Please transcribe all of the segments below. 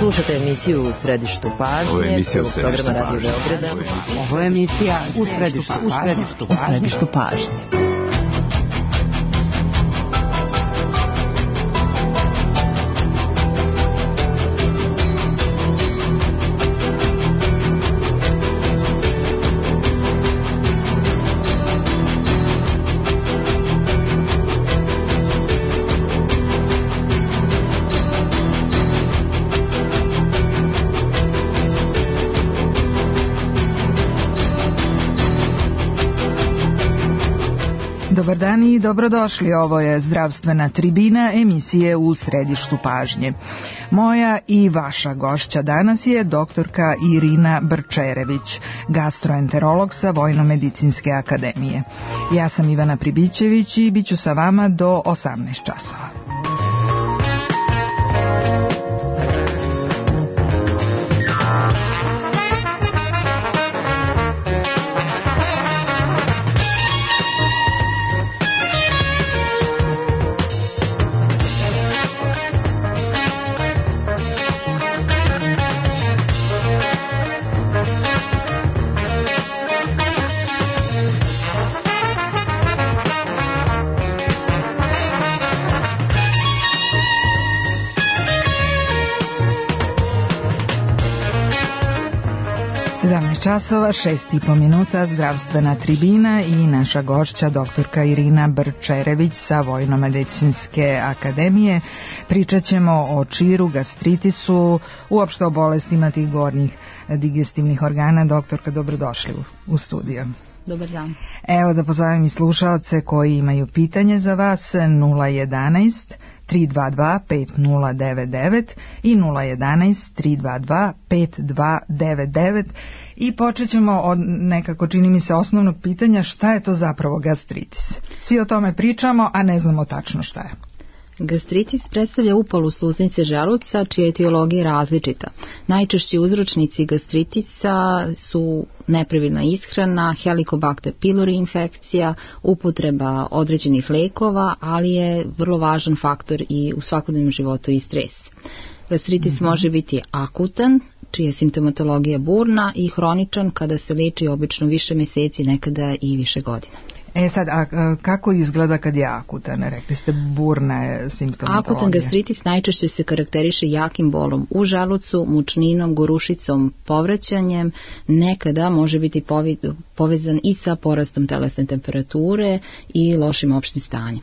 Slušate emisiju U središtu pažnje, programa Radio Beograda. Ovo je emisija U središtu pažnje. Dobar dan i dobrodošli, ovo je zdravstvena tribina emisije U središtu pažnje. Moja i vaša gošća danas je doktorka Irina Brčerević, gastroenterolog sa Vojno-medicinske akademije. Ja sam Ivana Pribićević i bit ću sa vama do 18 časova. Časova, 6,5 minuta, zdravstvena tribina i naša gošća doktorka Irina Brčerević sa Vojno-medicinske akademije. Pričat ćemo o čiru, gastritisu, uopšte o bolestima tih gornjih digestivnih organa. Doktorka, dobrodošli u studio. Dobar dan. Evo da pozovem i slušaoce koji imaju pitanje za vas, 011 322 5099 i 011 322 5299 i počet ćemo od nekako, čini mi se, osnovnog pitanja: šta je to zapravo gastritis? Svi o tome pričamo, a ne znamo tačno šta je. Gastritis predstavlja upalu sluznice želuca čija etiologija je različita. Najčešći uzročnici gastritisa su nepravilna ishrana, Helicobacter pylori infekcija, upotreba određenih lekova, ali je vrlo važan faktor i u svakodnevnom životu i stres. Gastritis može biti akutan, čija je simptomatologija burna, i hroničan kada se leči obično više meseci, nekada i više godina. Sad, a kako izgleda kad je akutan? Rekli ste burna je simptomatologija. Akutan gastritis najčešće se karakteriše jakim bolom u želucu, mučninom, gorušicom, povraćanjem, nekada može biti povezan i sa porastom telesne temperature i lošim opštim stanjem.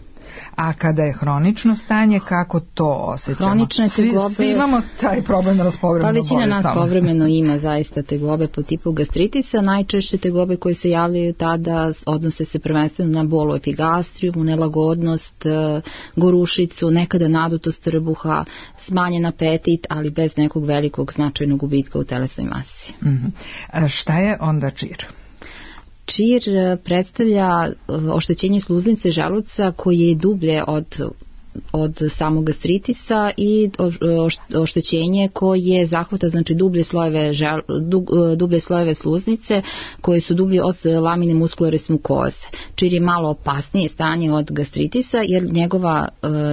A kada je hronično stanje, kako to osjećamo? Hronične tegobe... Svi imamo taj problem povremeno. Pa većina nas povremeno ima zaista tegobe po tipu gastritisa. Najčešće tegobe koje se javljaju tada odnose se prvenstveno na bol u epigastriju, nelagodnost, gorušicu, nekada nadutost trbuha, smanjen apetit, ali bez nekog velikog značajnog gubitka u telesnoj masi. Šta je onda čir? Čir predstavlja oštećenje sluznice želuca koje je dublje od samog gastritisa i oštećenje koje zahvata dublje slojeve sluznice koje su dublje od lamine muscularis mucosae. Čir je malo opasnije stanje od gastritisa jer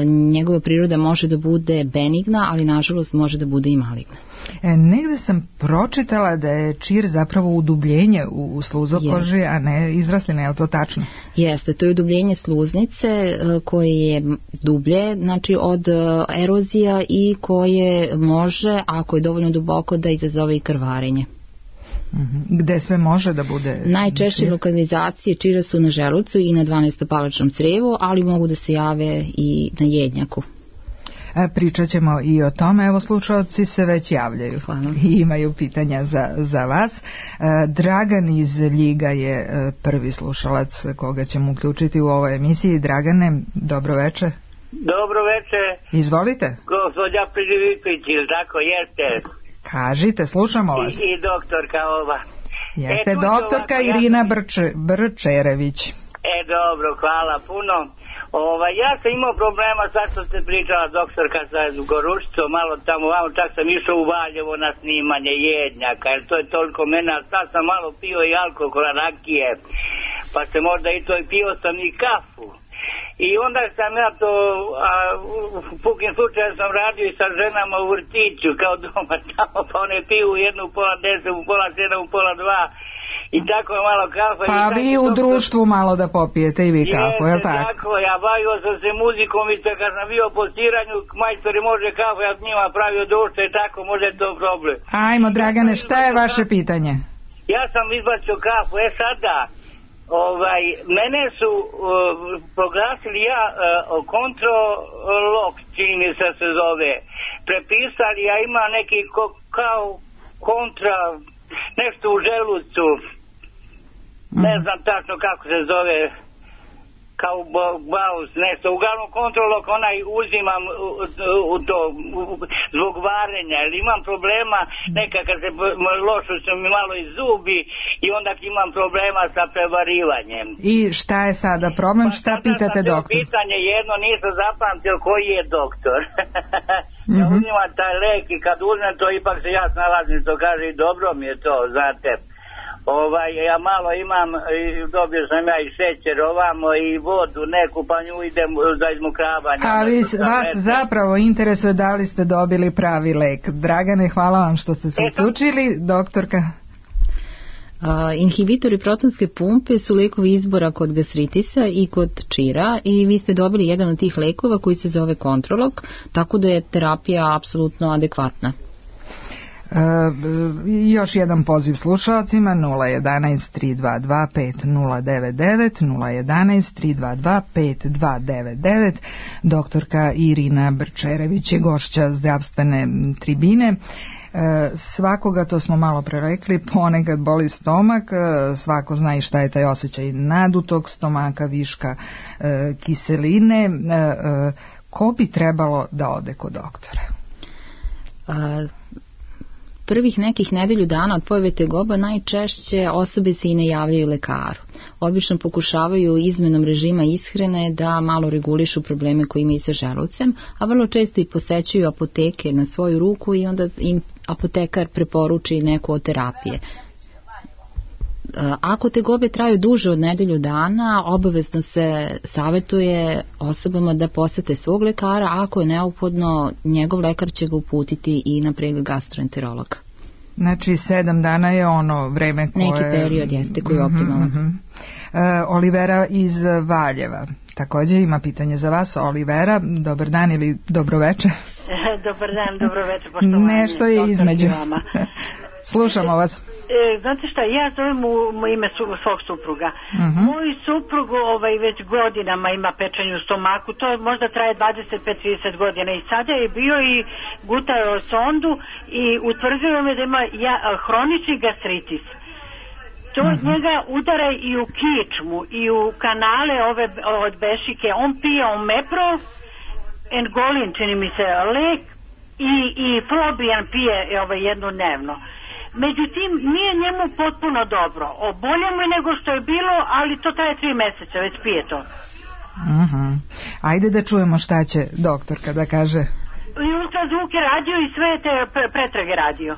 njegova priroda može da bude benigna, ali nažalost može da bude i maligna. Negde sam pročitala da je čir zapravo udubljenje u sluzokoži, a ne izraslina, je li to tačno? Jeste, to je udubljenje sluznice koje je dublje, znači od erozija, i koje može, ako je dovoljno duboko, da izazove i krvarenje. Gde sve može da bude? Najčešće lokalizacije čira su na želucu i na 12-palačnom crevu, ali mogu da se jave i na jednjaku. Pričat ćemo i o tome. Evo, slušalci se već javljaju. Hvala. I imaju pitanja za vas. Dragan iz Ljiga je prvi slušalac koga ćemo uključiti u ovoj emisiji. Dragane, dobro veče. Dobro veče. Izvolite. Gospođa Pribićević, ili tako jeste? Kažite, slušamo vas. I doktorka ova. Jeste doktorka Irina Brčerević. Dobro, hvala puno. Ja sam imao problema, sad što ste pričala doktorka sa gorušicom, malo tamo, čak sam išao u Valjevo na snimanje jednjaka, jer to je toliko mene, a sad sam malo pio i alkohola, rakije, pa se možda i to, i pio sam i kafu. I onda sam ja to, u pukim slučaju sam radio i sa ženama u vrtiću, kao doma tamo, pa one piju jednu u 9:30, u 8:30, u 1:30, i tako malo kafa. Pa vi u društvu malo da popijete i vi kafu, je li tako? Tako, ja bavio sam se muzikom i kad sam bio po stiranju, majstori može kafu, ja s njima pravio društvo i tako, može to problem. Ajmo, Dragane, šta je vaše pitanje? Ja sam izbacio kafu, sada, mene su proglasili kontrolog, čini mi se zove, prepisali, ja imam neki kao kontra, nešto u želucu, ne znam tačno kako se zove, kao baus, nešto, uglavnom kontrolog, onaj uzimam zbog varenja, jer imam problema, nekakad se lošu su mi malo i zubi i onda imam problema sa prevarivanjem. I šta je sada problem, šta pitate doktor? Pitanje jedno, nisam zapamtio koji je doktor. Ja uzimam taj lek i kad uzmem to, ipak se ja snalazim, to kaže i dobro mi je to, znate. Ja malo imam, dobio sam ja i šećer ovamo i vodu neku, pa nju idem za izmokravanje. Ali vas zapravo interesuje da li ste dobili pravi lek. Dragane, hvala vam što ste se uključili. Doktorka? Inhibitori protonske pumpe su lekovi izbora kod gastritisa i kod čira i vi ste dobili jedan od tih lekova koji se zove Kontrolog, tako da je terapija apsolutno adekvatna. Još jedan poziv slušalcima 011 322 5099 011 322 5299. Doktorka Irina Brčerević je gošća zdravstvene tribine. Svakoga, to smo malo pre rekli, ponekad boli stomak, svako zna i šta je taj osjećaj nadutog stomaka, viška kiseline. Ko bi trebalo da ode kod doktora? Prvih nekih nedelju dana od pojave tegoba najčešće osobe se i ne javljaju lekaru. Obično pokušavaju izmenom režima ishrane da malo regulišu probleme koje imaju sa želucem, a vrlo često i posećuju apoteke na svoju ruku i onda im apotekar preporuči neku od terapije. Ako tegobe traju duže od nedelju dana, obavezno se savjetuje osobama da posete svog lekara, a ako je neophodno, njegov lekar će ga uputiti i na pregled gastroenterologa. Znači 7 dana je ono vreme koje... Neki period jeste koji je optimalan. Olivera iz Valjeva također ima pitanje za vas. Olivera, dobar dan ili dobroveče? Dobar dan, dobroveče, poštovanje. Nešto je između. Slušamo vas. Znate šta, ja zovem u ime svog supruga. Moj suprug već godinama ima pečenje u stomaku, to možda traje 25-30 godina i sada je bio i gutao sondu i utvrdio me da ima hronični gastritis. To od njega udara i u kičmu i u kanale ove od bešike. On pije omepro, engolin, čini mi se, lek i Flobian pije jednodnevno. Međutim, nije njemu potpuno dobro. Bolje mu je nego što je bilo, ali to traje 3 meseca, već pije to. Ajde da čujemo šta će doktorka da kaže. I ultrazvuk je radio i sve te pretrage radio.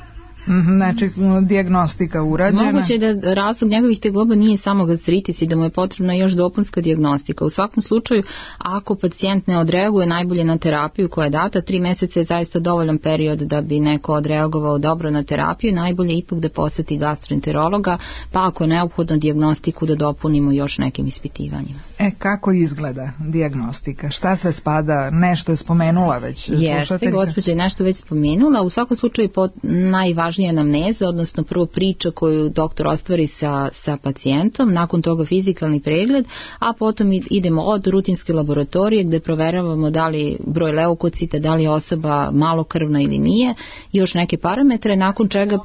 Znači, dijagnostika urađena. Moguće je da razlog njegovih tegoba nije samo gastritis i da mu je potrebna još dopunska dijagnostika. U svakom slučaju, ako pacijent ne odreaguje najbolje na terapiju koja je data, 3 meseca je zaista dovoljan period da bi neko odreagovao dobro na terapiju, najbolje ipak da poseti gastroenterologa, pa ako je neophodno dijagnostiku da dopunimo još nekim ispitivanjima. Kako izgleda dijagnostika? Šta sve spada? Nešto je spomenula već? Jeste, gospođa je nešto već spomenula. U svakom slučaju najvažnije anamneza, odnosno prvo priča koju doktor ostvari sa pacijentom, nakon toga fizikalni pregled, a potom idemo od rutinske laboratorije gde proveravamo da li broj leukocita, da li je osoba malokrvna ili nije, još neke parametre, nakon čega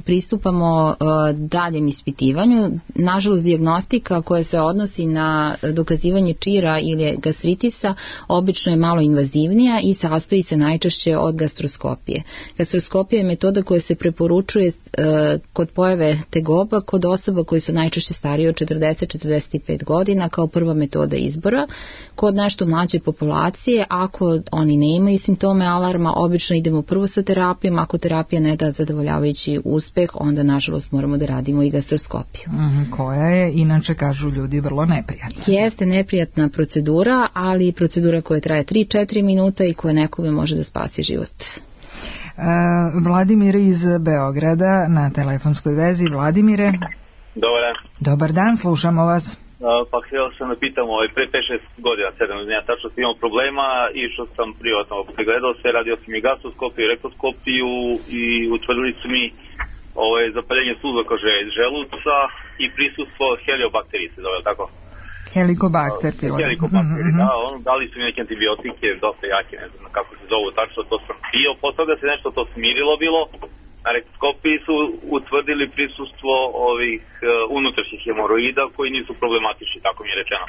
pristupamo daljem ispitivanju. Nažalost, dijagnostika koja se odnosi na dokazivanje čira ili gastritisa obično je malo invazivnija i sastoji se najčešće od gastroskopije. Gastroskopija je metoda metoda koja se preporučuje kod pojave tegoba kod osoba koji su najčešće starije od 40-45 godina kao prva metoda izbora. Kod nešto mlađe populacije, ako oni ne imaju simptome alarma, obično idemo prvo sa terapijom. Ako terapija ne da zadovoljavajući uspeh, onda nažalost moramo da radimo i gastroskopiju. Koja je, inače kažu ljudi, vrlo neprijatna. Jeste neprijatna procedura, ali procedura koja traje 3-4 minuta i koja nekome može da spasi život. Vladimir iz Beograda na telefonskoj vezi. Vladimire. Dobar dan. Dobar dan, slušamo vas. Pa htio sam da pitam, pre 5-6 godina, 7 godina, tačno sam imao problema, išao sam privatno, pregledao se, radio sam i gastroskopiju, rektoskopiju i utvrdili su mi zapaljenje sluzaka želuca i prisustvo heliobakterije se zove, tako? Helikobakter pylori. Helikobakter, da, dali su mi neke antibiotike, dosta jake, ne znam kako se zovu tačno, to sam pio, posle da se nešto to smirilo bilo, na rektoskopiji su utvrdili prisustvo ovih unutrašnjih hemoroida koji nisu problematični, tako mi je rečeno.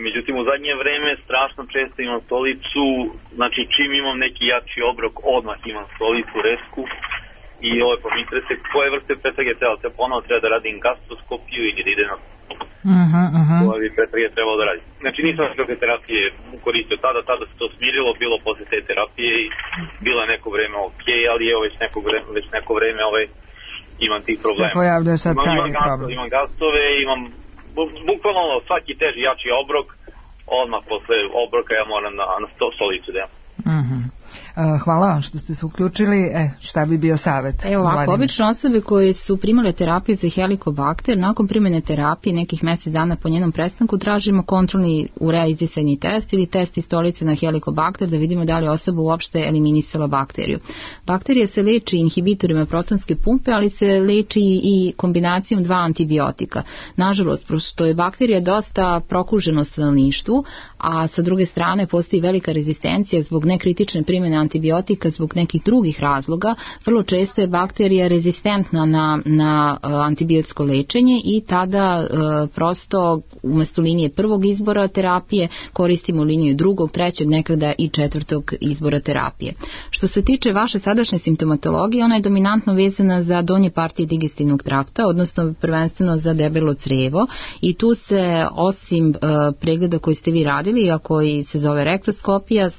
Međutim, u zadnje vreme strašno često imam stolicu, znači čim imam neki jači obrok, odmah imam stolicu, resku, i pa mi interese koje vrste pretrage treba, te ponovo treba da radim gastroskopiju ili da ide na koje pretrage trebalo da radim. Znači nisam kakve terapije koristio tada se to smirilo, bilo posle te terapije i bilo je neko vreme ok, ali evo već neko vreme imam tih problema. Se pojavljuje sad taj problem. Imam gastove, imam bukvalno svaki teži jači obrok, odmah posle obroka ja moram na stolicu da imam. Hvala vam što ste se uključili. Šta bi bio savjet? Evo ovako, obično osobe koje su primale terapiju za helikobakter, nakon primjene terapije nekih mjesec dana po njenom prestanku tražimo kontrolni urea izdisajni test ili test iz stolice na helikobakter da vidimo da li osoba uopšte eliminisala bakteriju. Bakterija se leči inhibitorima protonske pumpe, ali se leči i kombinacijom dva antibiotika. Nažalost, što je bakterija dosta prokužena u stanovništvu, a sa druge strane postoji velika rezistencija zbog nekritične primjene antibiotika zbog nekih drugih razloga, vrlo često je bakterija rezistentna na antibiotsko lečenje i tada prosto umjesto linije prvog izbora terapije koristimo liniju drugog, trećeg, nekada i četvrtog izbora terapije. Što se tiče vaše sadašnje simptomatologije, ona je dominantno vezana za donje partije digestivnog trakta, odnosno prvenstveno za debelo crevo i tu se osim pregleda koji ste vi radili, a koji se zove rektoskopija,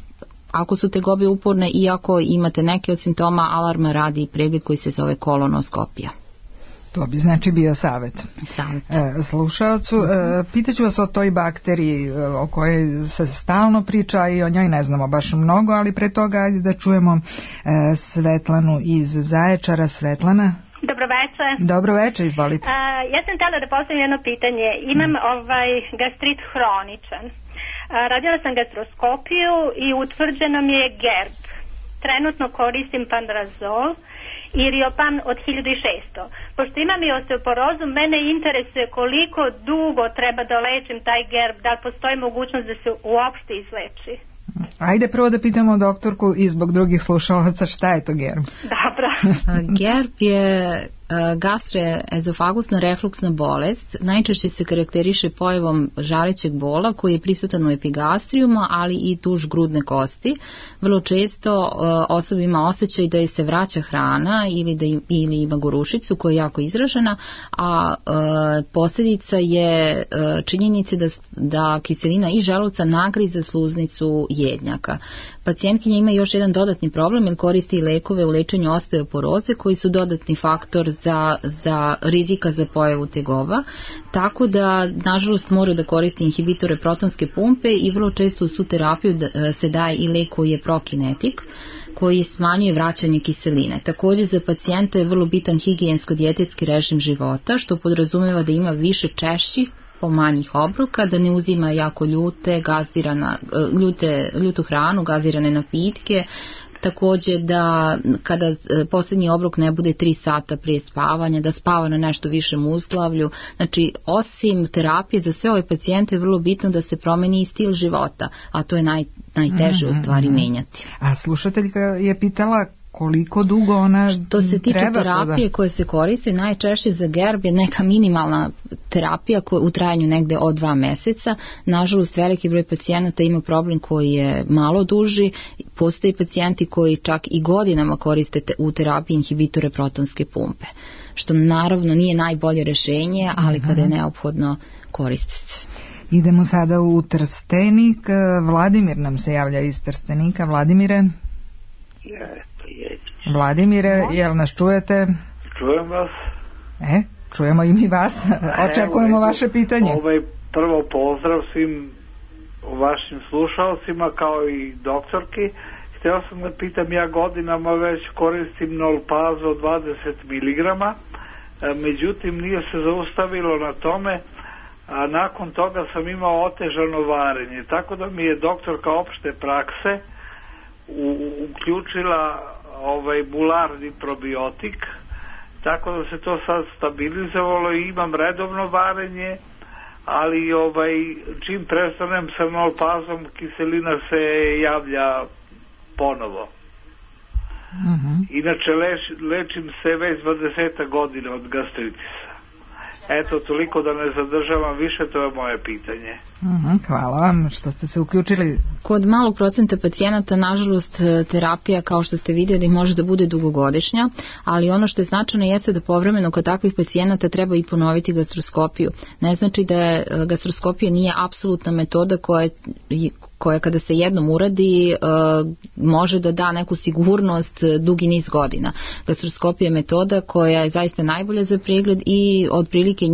ako su tegobe uporne i ako imate neke od simptoma alarma, radi i pregled koji se zove kolonoskopija. To bi znači bio savjet. Slušaocu. Pitaću vas o toj bakteriji o kojoj se stalno priča i o njoj ne znamo baš mnogo, ali pre toga ajde da čujemo Svetlanu iz Zaječara. Svetlana. Dobro večer. Dobro večer, izvolite. Ja sam htjela da postavim jedno pitanje. Imam gastrit hroničan. Radila sam gastroskopiju i utvrđeno mi je GERD. Trenutno koristim Pandrazol i Riopan od 1600. Pošto imam i osteoporozu, mene interesuje koliko dugo treba da lečim taj GERD, da li postoji mogućnost da se uopšte izleči. Ajde prvo da pitamo doktorku i zbog drugih slušalaca šta je to GERD. Dobro. GERD je gastroezofagusna refluksna bolest. Najčešće se karakteriše pojavom žarećeg bola koji je prisutan u epigastrijumu, ali i duž grudne kosti. Vrlo često osoba ima osjećaj da je se vraća hrana ili ima gorušicu koja je jako izražena, a posljedica je činjenica da kiselina iz želuca nagriza sluznicu jednjaka. Pacijentkinja ima još jedan dodatni problem jer koristi lekove u lečenju osteoporoze koji su dodatni faktor za rizika za pojavu tegoba, tako da nažalost moraju da koristi inhibitore protonske pumpe i vrlo često u su terapiju se daje i lek koji je prokinetik koji smanjuje vraćanje kiseline. Također za pacijenta je vrlo bitan higijensko-dijetetski režim života što podrazumijeva da ima više češćih manjih obroka, da ne uzima jako ljutu hranu, gazirane napitke, također da kada posljednji obrok ne bude 3 sata prije spavanja, da spava na nešto višem uzglavlju. Znači, osim terapije za sve ove pacijente je vrlo bitno da se promeni i stil života, a to je najteže u stvari menjati. A slušateljka je pitala koliko dugo ona treba? Što se tiče terapije koje se koriste, najčešće za GERB je neka minimalna terapija u trajanju negde od 2 meseca. Nažalost, veliki broj pacijenata ima problem koji je malo duži. Postoji pacijenti koji čak i godinama koriste u terapiji inhibitore protonske pumpe, što naravno nije najbolje rešenje, ali kada je neophodno koriste se. Idemo sada u Trstenik. Vladimir nam se javlja iz Trstenika. Vladimire? Vladimire, jel nas čujete? Čujem vas. Čujemo i mi vas. Očekujemo vaše pitanje. Prvo pozdrav svim vašim slušalcima kao i doktorki. Htio sam da pitam, ja godinama već koristim Nolpazo 20 mg, međutim nije se zaustavilo na tome, a nakon toga sam imao otežano varenje, tako da mi je doktorka opšte prakse uključila bularni probiotik, tako da se to sad stabilizovalo i imam redovno varenje, ali čim prestanem sa Nolpazom kiselina se javlja ponovo. Inače lečim se već 20 godina od gastritisa. Eto, toliko da ne zadržavam više, to je moje pitanje. Hvala vam što ste se uključili. Kod malog procenta pacijenata, nažalost, terapija, kao što ste vidjeli, može da bude dugogodišnja, ali ono što je značajno jeste da povremeno kod takvih pacijenata treba i ponoviti gastroskopiju. Ne znači da gastroskopija nije apsolutna metoda koja kada se jednom uradi može da da neku sigurnost dugi niz godina. Gastroskopija je metoda koja je zaista najbolja za pregled i otprilike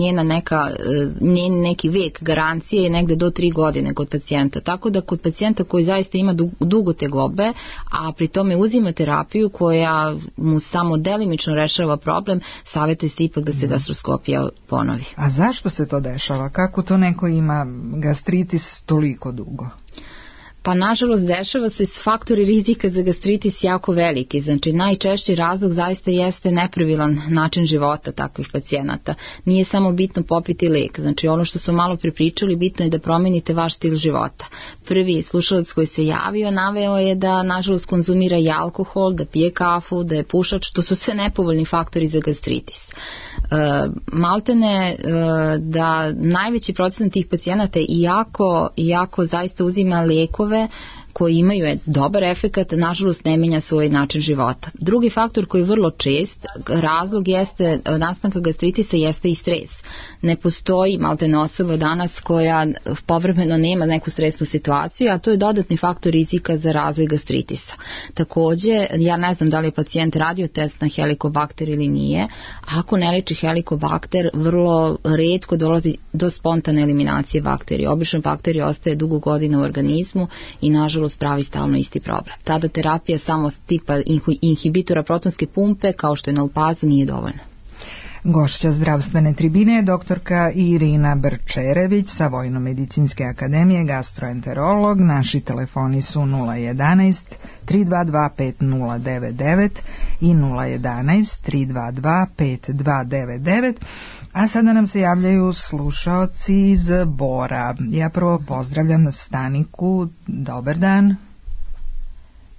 njen neki vek garancije je negde do 3 godine kod pacijenta. Tako da kod pacijenta koji zaista ima dugo tegobe, a pri tome uzima terapiju koja mu samo delimično rešava problem, savjetuje se ipak da se gastroskopija ponovi. A zašto se to dešava? Kako to neko ima gastritis toliko dugo? Pa nažalost dešava se s faktori rizika za gastritis jako veliki, znači najčešći razlog zaista jeste nepravilan način života takvih pacijenata. Nije samo bitno popiti lek, znači ono što su malo prepričali, bitno je da promenite vaš stil života. Prvi slušalac koji se javio naveo je da nažalost konzumira i alkohol, da pije kafu, da je pušač, to su sve nepovoljni faktori za gastritis. Maltene da najveći procenat tih pacijenata iako zaista uzima lekove koji imaju dobar efekat, nažalost ne menja svoj način života. Drugi faktor koji je vrlo čest, razlog jeste nastanka gastritisa jeste i stres. Ne postoji maltene osoba danas koja povremeno nema neku stresnu situaciju, a to je dodatni faktor rizika za razvoj gastritisa. Takođe, ja ne znam da li je pacijent radio test na helikobakter ili nije, ako ne leči helikobakter, vrlo retko dolazi do spontane eliminacije bakterije. Obično bakterija ostaje dugo godina u organizmu i nažalost pravi stalno isti problem. Tada terapija samo tipa inhibitora protonske pumpe, kao što je Nolpaza, nije dovoljna. Gošća zdravstvene tribine je doktorka Irina Brčerević sa Vojno-medicinske akademije, gastroenterolog. Naši telefoni su 011 322 5099 i 011 322 5299. A sada nam se javljaju slušaoci iz Bora. Ja prvo pozdravljam Staniku. Dobar dan.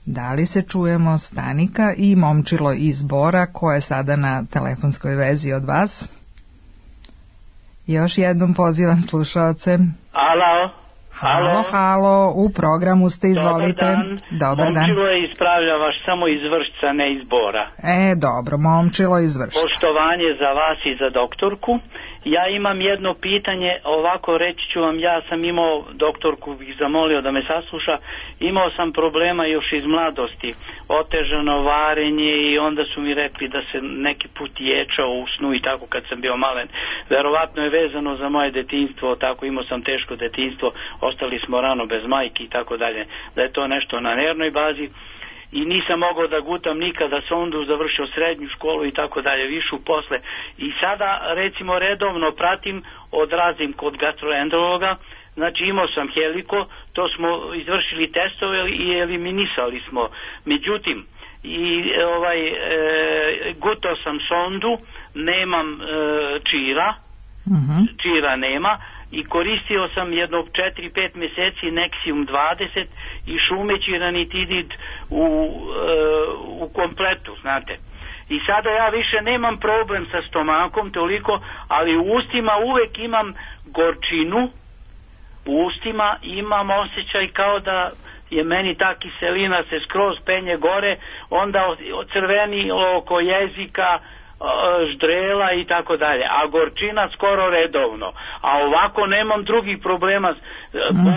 Da li se čujemo, Stanika? I Momčilo iz Bora, ko je sada na telefonskoj vezi od vas? Još jednom pozivam slušaoce. Halo, u programu ste, izvolite. Dobar dan. Momčilo je ispravlja vaš samo iz Vršca, ne iz Bora. Dobro, Momčilo iz Vršca. Poštovanje za vas i za doktorku. Ja imam jedno pitanje, ovako reći ću vam, ja sam imao, doktorku bih zamolio da me sasluša, imao sam problema još iz mladosti, otežano varenje i onda su mi rekli da se neki put ječao u snu i tako kad sam bio malen. Verovatno je vezano za moje detinjstvo, tako imao sam teško detinjstvo, ostali smo rano bez majki i tako dalje, da je to nešto na nervnoj bazi. I nisam mogao da gutam nikada sondu, završio srednju školu i tako dalje, višu posle. I sada recimo redovno pratim, odrazim kod gastroenterologa, znači imao sam heliko, to smo izvršili testove i eliminisali smo. Međutim, gutao sam sondu, nemam čira, čira nema i koristio sam jedno 4-5 mjeseci Nexium 20 i šumeći ranitidid u kompletu, znate. I sada ja više nemam problem sa stomakom toliko, ali u ustima uvek imam gorčinu, u ustima imam osjećaj kao da je meni ta kiselina se skroz penje gore, onda crveni oko jezika, ždrela i tako dalje, a gorčina skoro redovno, a ovako nemam drugih problema,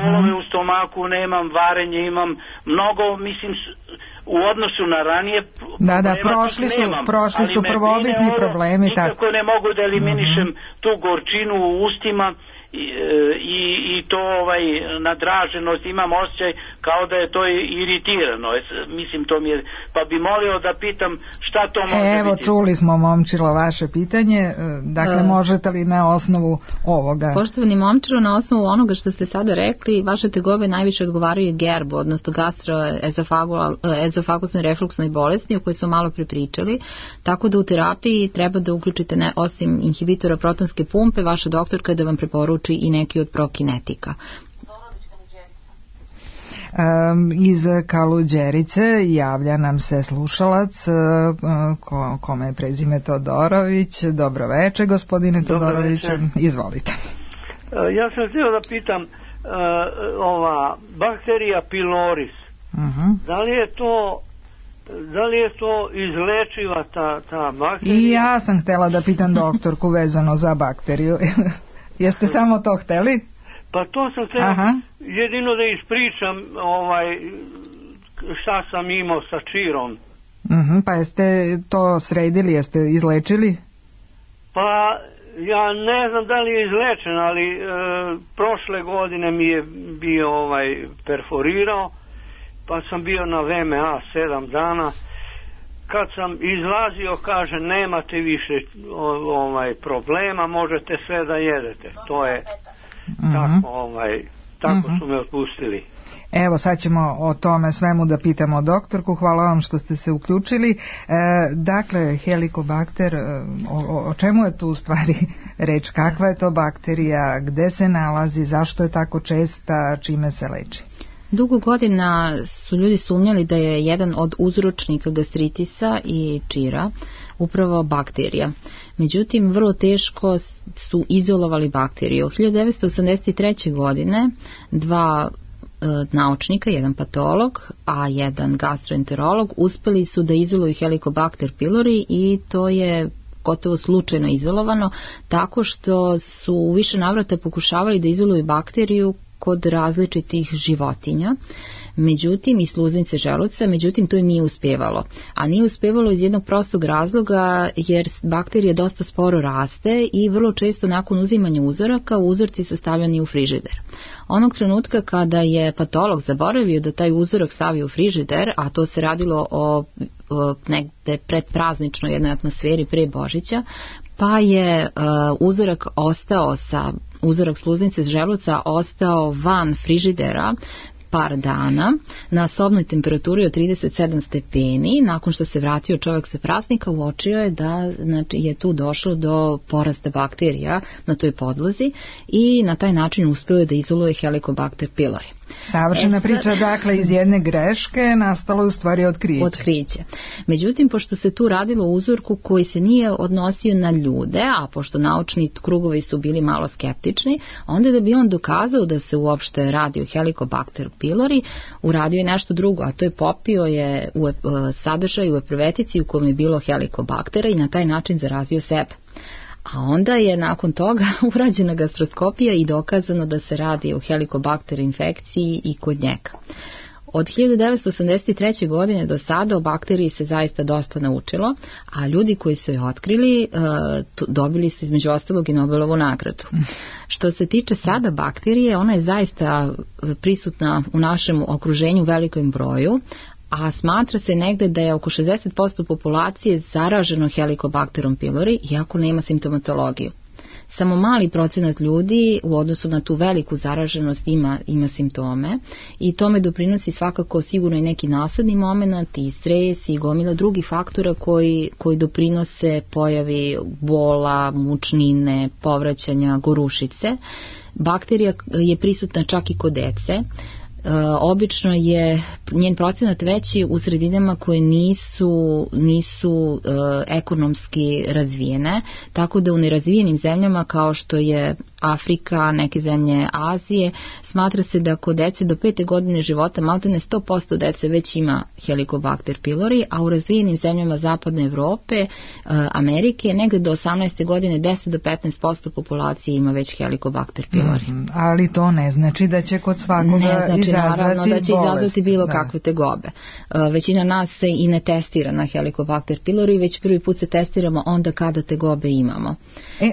bolove u stomaku nemam, varenje imam mnogo, mislim, u odnosu na ranije prošli su prvobitni problemi. Nikako ne mogu da eliminišem tu gorčinu u ustima i to nadraženost, imam osjećaj kao da je to iritirano, mislim to mi je, pa bi molio da pitam šta to može biti. Evo, čuli smo, Momčilo, vaše pitanje, dakle možete li na osnovu ovoga? Poštovani Momčilo, na osnovu onoga što ste sada rekli, vaše tegobe najviše odgovaraju GERB, odnosno gastroezofagusnoj refluksnoj bolesti o kojoj smo malo prepričali, tako da u terapiji treba da uključite osim inhibitora protonske pumpe, vaša doktorka da vam preporuči i neki od prokinetika. Iz Kaluđerice javlja nam se slušalac kome je prezime Todorović. Dobro večer, gospodine Todorović, izvolite. Ja sam htio da pitam ova bakterija piloris, da li je to izlečiva ta bakterija? I ja sam htjela da pitam doktorku vezano za bakteriju. Jeste samo to hteli? Pa to sam htjela jedino da ispričam šta sam imao sa čirom. Pa jeste to sredili, jeste izlečili? Pa ja ne znam da li je izlečen, ali prošle godine mi je bio perforirao, pa sam bio na VMA 7 dana. Kad sam izlazio, kaže, nemate više problema, možete sve da jedete. To je tako su me otpustili. Evo, sad ćemo o tome svemu da pitamo doktorku. Hvala vam što ste se uključili. Dakle, helikobakter, o čemu je tu u stvari reč? Kakva je to bakterija? Gde se nalazi? Zašto je tako česta? Čime se leči? Dugo godina su ljudi sumnjali da je jedan od uzročnika gastritisa i čira upravo bakterija. Međutim, vrlo teško su izolovali bakteriju. 1983. godine dva naučnika, jedan patolog, a jedan gastroenterolog, uspeli su da izoluju Helicobacter pylori i to je gotovo slučajno izolovano, tako što su u više navrata pokušavali da izoluju bakteriju kod različitih životinja, međutim i sluznice želuca, međutim to im nije uspevalo. A nije uspevalo iz jednog prostog razloga jer bakterija dosta sporo raste i vrlo često nakon uzimanja uzoraka uzorci su stavljani u frižider. Onog trenutka kada je patolog zaboravio da taj uzorak stavi u frižider, a to se radilo o negde predprazničnoj jednoj atmosferi pre Božića, pa je uzorak sluznice želuca ostao van frižidera par dana na sobnoj temperaturi od 37 stepeni. Nakon što se vratio čovjek sa praznika, uočio je da je tu došlo do porasta bakterija na toj podlozi i na taj način uspio je da izoluje Helicobacter pylori. Savršena priča, dakle iz jedne greške nastalo je u stvari otkriće. Međutim, pošto se tu radilo o uzorku koji se nije odnosio na ljude, a pošto naučni krugovi su bili malo skeptični, onda da bi on dokazao da se uopšte radi o Helicobacter pylori, uradio je nešto drugo, a to je popio je sadržaj u epruvetici u kojem je bilo helikobaktera i na taj način zarazio sebe. A onda je nakon toga urađena gastroskopija i dokazano da se radi o helikobakter infekciji i kod njega. Od 1983. godine do sada o bakteriji se zaista dosta naučilo, a ljudi koji su je otkrili dobili su između ostalog i Nobelovu nagradu. Što se tiče sada bakterije, ona je zaista prisutna u našem okruženju u velikom broju, a smatra se negde da je oko 60% populacije zaraženo Helicobacterom pylori, iako nema simptomatologiju. Samo mali procenat ljudi u odnosu na tu veliku zaraženost ima simptome i tome doprinosi svakako sigurno i neki nasadni moment i stres i gomila drugih faktora koji doprinose pojavi bola, mučnine, povraćanja, gorušice. Bakterija je prisutna čak i kod dece. Obično je njen procenat veći u sredinama koje nisu ekonomski razvijene, tako da u nerazvijenim zemljama kao što je Afrika, neke zemlje Azije, smatra se da kod dece do 5. godine života maltene 100% dece već ima Helicobacter pylori, a u razvijenim zemljama Zapadne Evrope, Amerike, negde do 18. godine 10 do 15% populacije ima već Helicobacter pylori. Ali to ne znači da će kod svakoga naravno da će izazvati bilo kakve tegobe. Većina nas se i ne testira na Helicobacter pylori, već prvi put se testiramo onda kada tegobe imamo.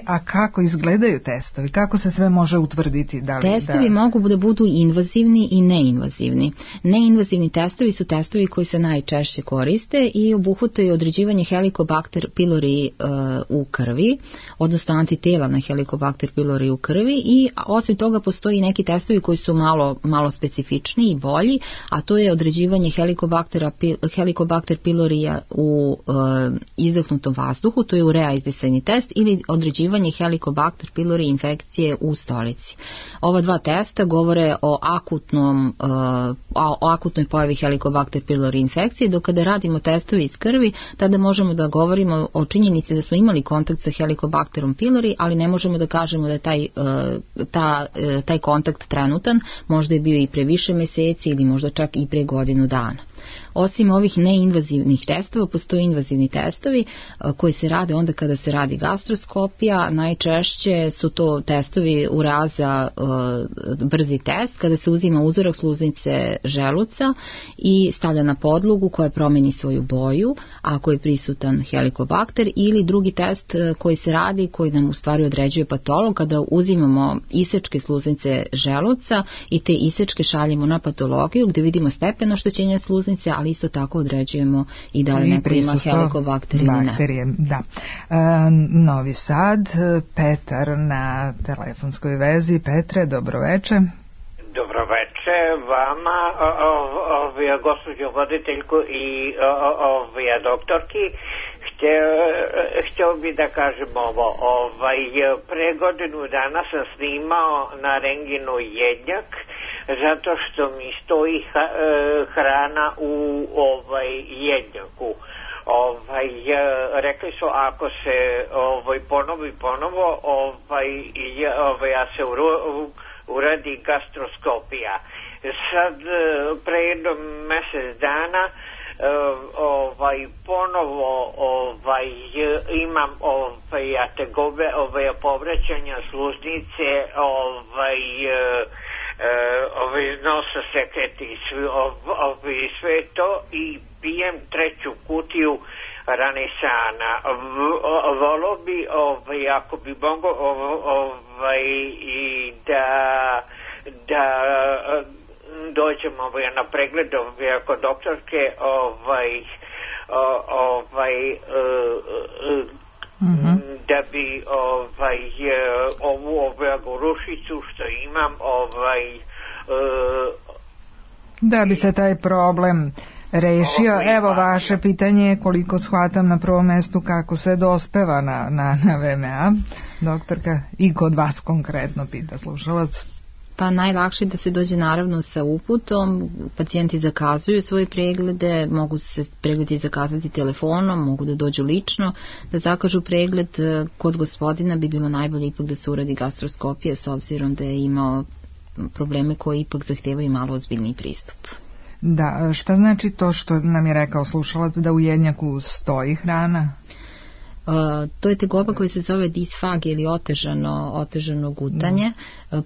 A kako izgledaju testovi? Kako se sve može utvrditi? Testovi mogu da budu invazivni i neinvazivni. Neinvazivni testovi su testovi koji se najčešće koriste i obuhvataju određivanje Helicobacter pylori u krvi, odnosno antitela na Helicobacter pylori u krvi, i osim toga postoji neki testovi koji su malo specifičniji i bolji, a to je određivanje Helicobacter pylorija u izdahnutom vazduhu, to je urea izdisajni test, ili određivanje Helicobacter pylori infekcije u stolici. Ova dva testa govore o akutnoj pojavi Helicobacter pylori infekcije, dok kada radimo testove iz krvi, tada možemo da govorimo o činjenici da smo imali kontakt sa Helicobacterom pylori, ali ne možemo da kažemo da je taj kontakt trenutan, možda je bio i pre više meseci ili možda čak i pre godinu dana. Osim ovih neinvazivnih testova, postoje invazivni testovi koji se rade onda kada se radi gastroskopija. Najčešće su to testovi uraza brzi test, kada se uzima uzorak sluznice želuca i stavlja na podlogu koja promeni svoju boju, ako je prisutan Helicobacter, ili drugi test koji se radi, koji nam u stvari određuje patolog, kada uzimamo isečke sluznice želuca i te isečke šaljemo na patologiju gdje vidimo stepen oštećenja sluznice, ali isto tako određujemo i da li neko ima Helicobacter ili ne. Da. Novi Sad, Petar na telefonskoj vezi. Petre, dobroveče. Dobroveče vama, gospođo voditeljku i doktorki. Htio bi da kažem ovo, pre godinu dana sam snimao na renginu jednjak, zato što mi stoji hrana u jednjaku. Rekli su ako se ponovo se uradi gastroskopija. Sad pre jedno mjesec dana ponovo imam tegobe, povraćanja sluznice, nosa seketi i sve to, i pijem 3. kutiju Ranesana. Volio bi ako bi mogo i da dođem na pregled kod doktorke da bi ovu gorušicu što imam da bi se taj problem rešio. Evo vaše pitanje je, koliko shvatam, na prvom mestu kako se dospeva na VMA. Doktorka, i kod vas konkretno pita slušalac. Pa najlakše da se dođe naravno sa uputom. Pacijenti zakazuju svoje preglede, mogu se pregledi zakazati telefonom, mogu da dođu lično da zakažu pregled. Kod gospodina bi bilo najbolje ipak da se uradi gastroskopija, s obzirom da je imao probleme koji ipak zahtevaju malo ozbiljniji pristup. Da, šta znači to što nam je rekao slušalac, da u jednjaku stoji hrana? To je tegoba koja se zove disfagija ili otežano gutanje.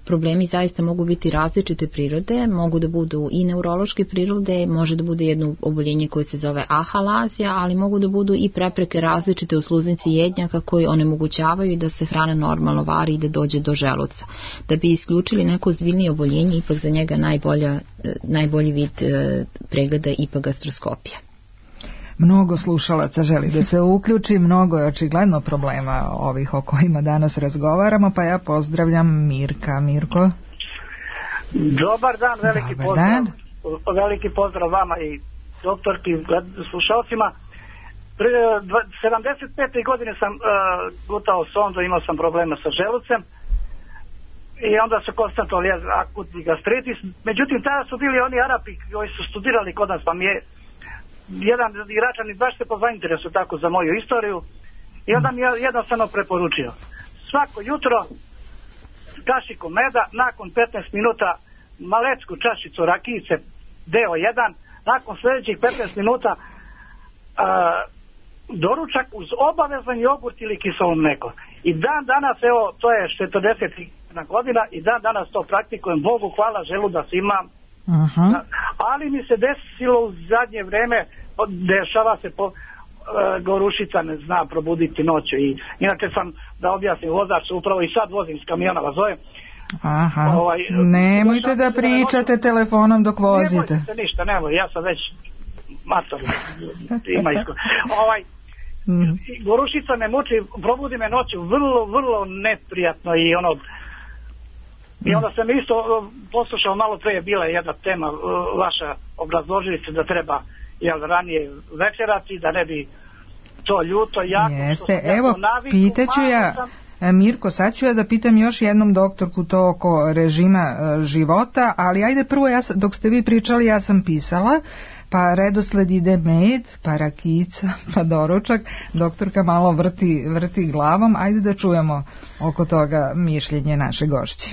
Problemi zaista mogu biti različite prirode, mogu da budu i neurološke prirode, može da bude jedno oboljenje koje se zove ahalazija, ali mogu da budu i prepreke različite u sluznici jednjaka koji onemogućavaju da se hrana normalno vari i da dođe do želuca. Da bi isključili neko ozbiljnije oboljenje, ipak za njega najbolji vid pregleda ipak gastroskopija. Mnogo slušalaca želi da se uključi, mnogo je očigledno problema ovih o kojima danas razgovaramo, pa ja pozdravljam Mirka. Mirko? Dobar dan, veliki pozdrav vama i doktorki, slušalcima. 75. godine sam gutao sondu, imao sam problema sa želucem i onda su konstatovali akutni gastritis. Međutim, tada su bili oni Arapi koji su studirali kod nas, pa mi je jedan Iračanin baš se po interesu tako za moju istoriju i onda mi je jednostavno preporučio svako jutro kašiku meda, nakon 15 minuta malecku čašicu rakijice deo 1, nakon sljedećih 15 minuta doručak uz obavezan jogurt ili kiselo mlijeko. I dan danas, evo, to je 40 godina i dan danas to praktikujem, Bogu hvala, želudac imam. Ali mi se desilo u zadnje vreme, dešava se gorušica ne zna probuditi noću i inače sam, da objasnim, vozač upravo i sad vozim s kamiona, vas zovem. Nemojte da pričate telefonom dok vozite. Nemojte se ništa, nemoj, ja sam već mator, ima gorušica me muči, probudi me noću vrlo neprijatno i i onda sam isto poslušao, malo pre je bila jedna tema vaša, obrazložili ste da treba ranije večerati, da ne bi to ljuto jako. Jeste, evo, pitaću ja, Mirko, sad ću ja da pitam još jednom doktorku to oko režima života, ali ajde prvo, dok ste vi pričali ja sam pisala, pa redosled ide med, pa rakijica, pa doručak, doktorka malo vrti glavom, ajde da čujemo oko toga mišljenje naše gošće.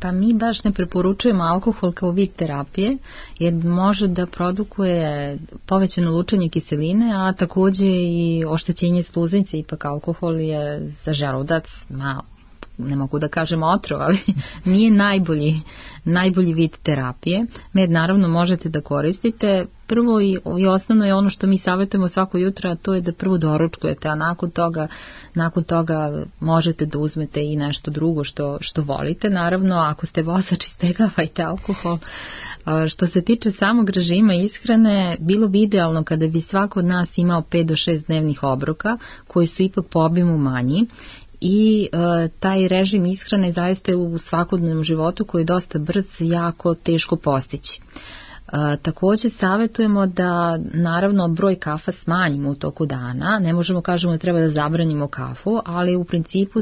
Pa mi baš ne preporučujemo alkohol kao vid terapije, jer može da produkuje povećano lučenje kiseline, a takođe i oštećenje sluznice. Ipak alkohol je za želudac malo, ne mogu da kažem otrov, ali nije najbolji vid terapije. Med naravno možete da koristite. Prvo i osnovno je ono što mi savjetujemo svako jutro, a to je da prvo doručkujete, a nakon toga možete da uzmete i nešto drugo što volite. Naravno, ako ste vozač, izbegavajte alkohol. Što se tiče samog režima ishrane, bilo bi idealno kada bi svako od nas imao 5 do 6 dnevnih obroka, koji su ipak po obimu manji. I taj režim ishrane zaista je u svakodnevnom životu koji je dosta brz, jako teško postići. Također savjetujemo da naravno broj kafa smanjimo u toku dana, ne možemo kažemo da treba da zabranimo kafu, ali u principu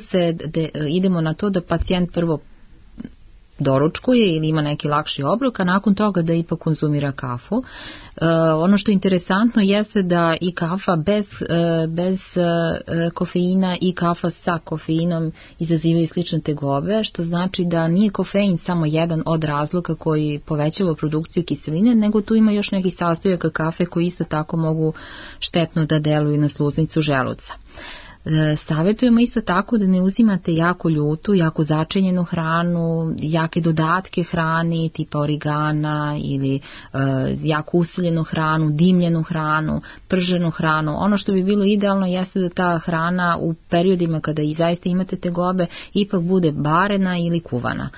idemo na to da pacijent prvo doručkuje ili ima neki lakši obrok, a nakon toga da ipak konzumira kafu. Ono što je interesantno jeste da i kafa bez kofeina i kafa sa kofeinom izazivaju slične tegobe, što znači da nije kofein samo jedan od razloga koji povećava produkciju kiseline, nego tu ima još nekih sastojaka kafe koji isto tako mogu štetno da deluju na sluznicu želuca. Savjetujemo isto tako da ne uzimate jako ljutu, jako začinjenu hranu, jake dodatke hrani tipa origana ili jako usiljenu hranu, dimljenu hranu, prženu hranu. Ono što bi bilo idealno jeste da ta hrana u periodima kada i zaista imate tegobe ipak bude barena ili kuvana.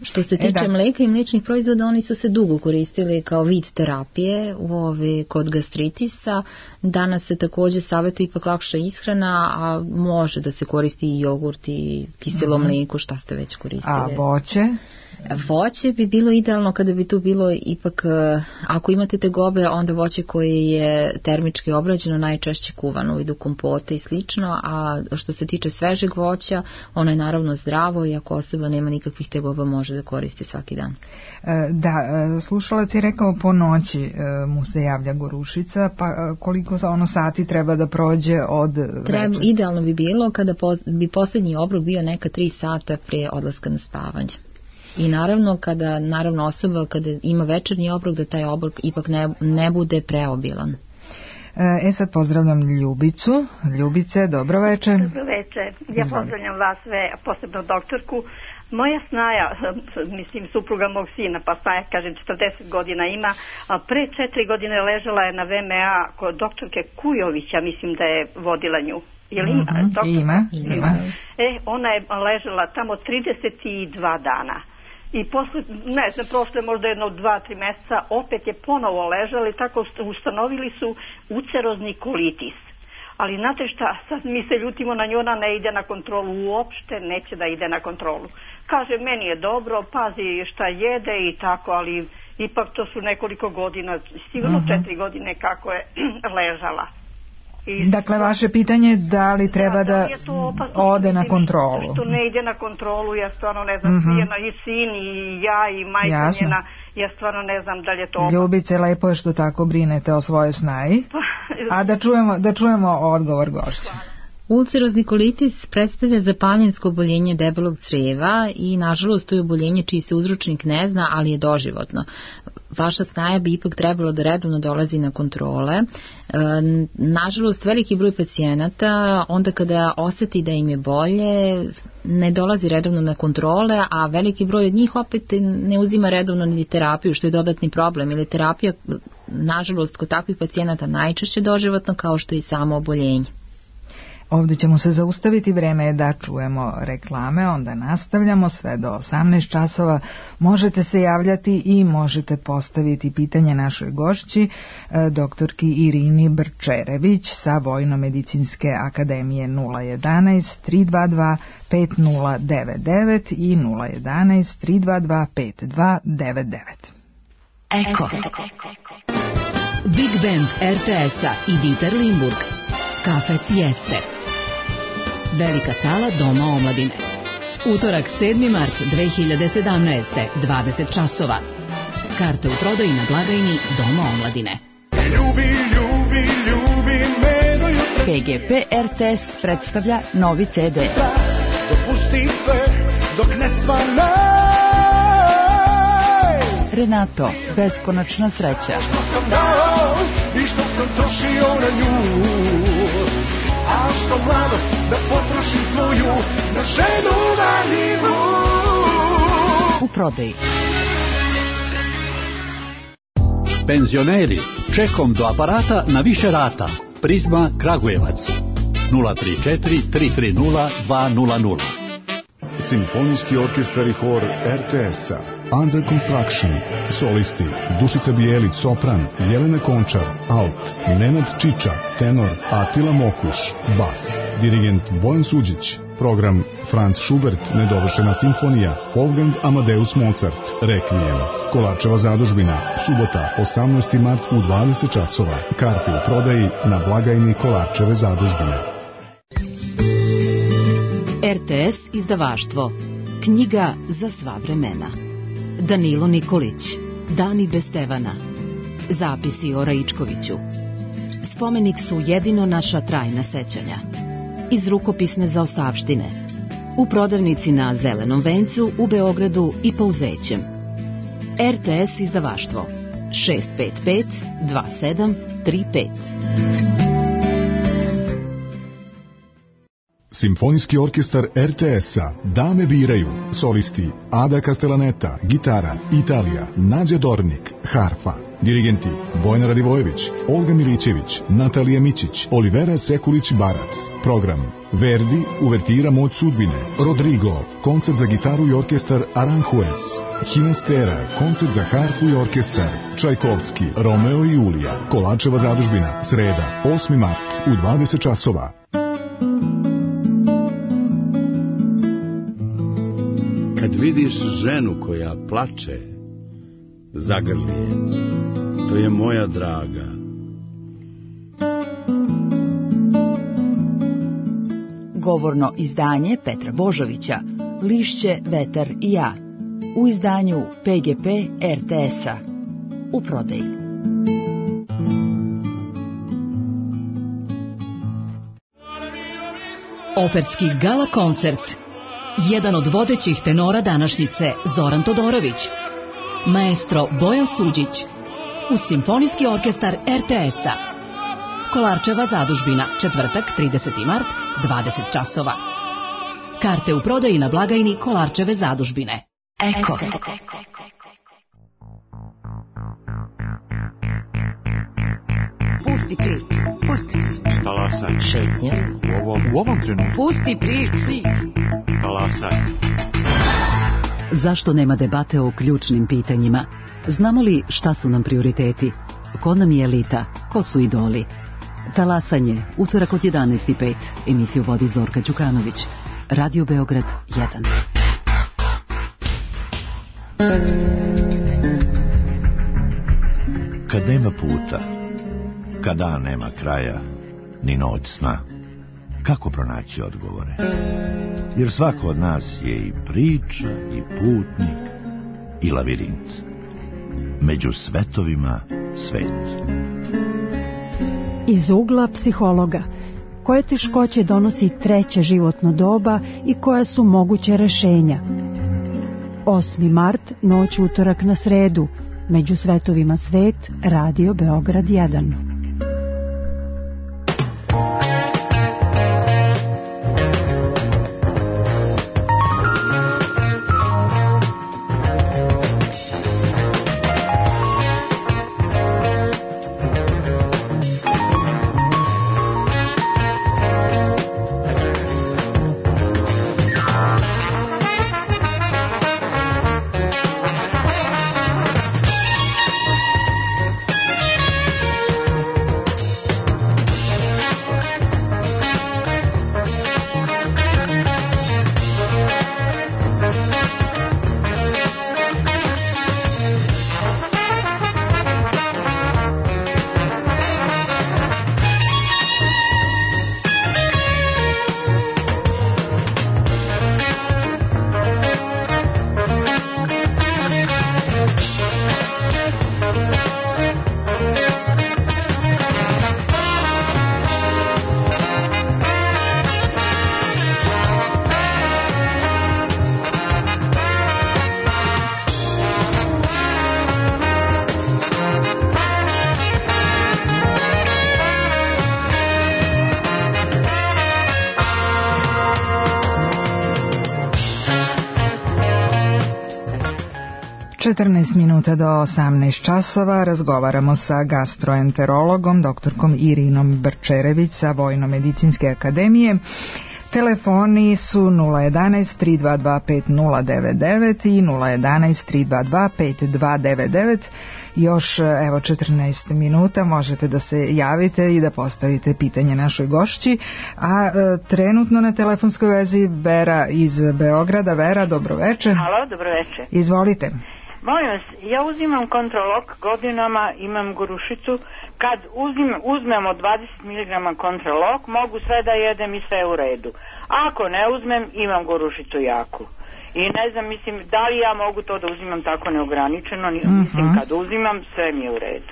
Što se tiče mlijeka i mliječnih proizvoda, oni su se dugo koristili kao vid terapije kod gastritisa. Danas se također savjetuje ipak lakša ishrana, a može da se koristi i jogurt i kiselo mlijeko, šta ste već koristili. A voće? Voće bi bilo idealno kada bi tu bilo ipak, ako imate tegobe, onda voće koje je termički obrađeno, najčešće kuvano u vidu kompota i slično, a što se tiče svežeg voća, ono je naravno zdravo i ako osoba nema nikakvih tegoba može da koristi svaki dan. Da, slušalac je rekao po noći mu se javlja gorušica, pa koliko sati treba da prođe od večera? Idealno bi bilo kada bi posljednji obrok bio neka 3 sata prije odlaska na spavanje. I naravno osoba kada ima večernji obrok da taj obrok ipak ne bude preobilan. Sad pozdravljam Ljubicu. Ljubice, dobro večer. Dobro večer. Ja pozdravljam vas sve, posebno doktorku. Moja snaja, supruga mog sina, pa snaja, kažem, 40 godina ima, pre 4 godine ležala je na VMA kod doktorke Kujovića, mislim da je vodila nju. Ima. Ona je ležala tamo 32 dana. I posle, ne znam, prošle možda jedno 2-3 mjeseca, opet je ponovo ležala i tako ustanovili su ucerozni kolitis. Ali znate šta, sad mi se ljutimo na nju, ona ne ide na kontrolu, uopšte neće da ide na kontrolu. Kaže, meni je dobro, pazi šta jede i tako, ali ipak to su nekoliko godina, sigurno 4 godine kako je ležala. Dakle, vaše pitanje je da li treba da ode na kontrolu. Što ne ide na kontrolu, ja stvarno ne znam, i sin, i ja, i majka njena, ja stvarno ne znam da li je to opasno. Ljubice, lepo je što tako brinete o svojoj snaji. A da čujemo odgovor gošća. Ulcerozni kolitis predstavlja zapaljensko oboljenje debelog crijeva i nažalost to je oboljenje čiji se uzročnik ne zna, ali je doživotno. Vaša snaja bi ipak trebalo da redovno dolazi na kontrole. Nažalost, veliki broj pacijenata onda kada oseti da im je bolje ne dolazi redovno na kontrole, a veliki broj od njih opet ne uzima redovno ni terapiju, što je dodatni problem, ili terapija nažalost kod takvih pacijenata najčešće doživotno kao što je i samo oboljenje. Ovdje ćemo se zaustaviti, vreme je da čujemo reklame, onda nastavljamo sve do 18 časova. Možete se javljati i možete postaviti pitanje našoj gošći, doktorki Irini Brčerević sa Vojno-medicinske akademije 011 322 5099 i 011 322 5299. Eko. Big Band RTS-a i Dieter Limburg. Kafe Sieste. Velika sala Doma omladine. Utorak 7. mart 2017. 20 časova. Karte u prodaji na blagajni Doma omladine. PGP RTS predstavlja novi CD. Dopusti sve dok ne svanaj. Renato, beskonačna sreća. Što sam dao i što sam trošio na nju. A što mlado da potrošim svoju na ženu valjivu. U prodaji. Penzioneri, čekom do aparata na više rata. Prizma Kragujevac 034 330 200. Simfonijski orkestar i hor RTS-a. Under Construction. Solisti Dušica Bijelić, sopran, Jelena Končar, alt, Nenad Čiča, tenor, Atila Mokuš, bas, dirigent Bojan Suđić. Program Franz Schubert, nedovršena simfonija, Wolfgang Amadeus Mozart, Rekvijem. Kolarčeva zadužbina, subota 18. mart u 20 časova. Karte u prodaji na blagajni Kolarčeve zadužbine. RTS izdavaštvo. Knjiga za sva vremena. Danilo Nikolić. Dani bez Stevana. Zapisi o Raičkoviću. Spomenik su jedino naša trajna sećanja. Iz rukopisne zaostavštine. U prodavnici na Zelenom vencu u Beogradu i Pouzećem. RTS izdavaštvo 655 2735. Simfonijski orkestar RTS-a Dame biraju. Solisti Ada Castellaneta, gitara, Italija, Nađa Dornik, harfa. Dirigenti Bojana Radivojević, Olga Milićević, Natalija Mićić, Olivera Sekulić-Barac. Program Verdi, uvertira Moć sudbine, Rodrigo, koncert za gitaru i orkestar Aranjuez, Hinastera, koncert za harfu i orkestar, Čajkovski, Romeo i Julija, Kolarčeva zadužbina, sreda, 8. mart u 20 časova. Kad vidiš ženu koja plače, zagrli je. To je moja draga. Govorno izdanje Petra Božovića, Lišće, vetar i ja. U izdanju PGP RTS-a. U prodaji. Operski gala koncert. Jedan od vodećih tenora današnjice, Zoran Todorović. Maestro Bojan Suđić. Uz Simfonijski orkestar RTS-a. Kolarčeva zadužbina, četvrtak, 30. mart, 20 časova. Karte u prodaji na blagajni Kolarčeve zadužbine. Eko. Pusti priču, pusti priču. Talasaj. Šetnja. U ovom trenutku. Pusti priču. Talasaj. Zašto nema debate o ključnim pitanjima? Znamo li šta su nam prioriteti? Ko nam je elita? Ko su idoli? Talasanje, utorak od 11:05. Emisiju vodi Zorka Đukanović. Radio Beograd 1. Kad nema puta, kad dan nema kraja, ni noć sna. Kako pronaći odgovore? Jer svako od nas je i priča, i putnik, i lavirint. Među svetovima svet. Iz ugla psihologa. Koje teškoće donosi treće životno doba i koja su moguće rešenja? 8. mart, noć utorak na sredu. Među svetovima svet, Radio Beograd 1. Minuta do 18 časova razgovaramo sa gastroenterologom, doktorkom Irinom Brčerević sa Vojno-medicinske akademije. Telefoni su 011 322 5099 i 011 322 5299. Još evo 14 minuta možete da se javite i da postavite pitanje našoj gošći, a trenutno na telefonskoj vezi Vera iz Beograda. Vera, dobroveče. Halo, dobroveče. Izvolite. Molim vas, ja uzimam Kontrolok godinama, imam gorušicu. Kad uzmemo 20 mg Kontrolok, mogu sve da jedem i sve u redu. Ako ne uzmem, imam gorušicu jaku. I ne znam, mislim, da li ja mogu to da uzimam tako neograničeno, mislim, kad uzimam, sve mi je u redu.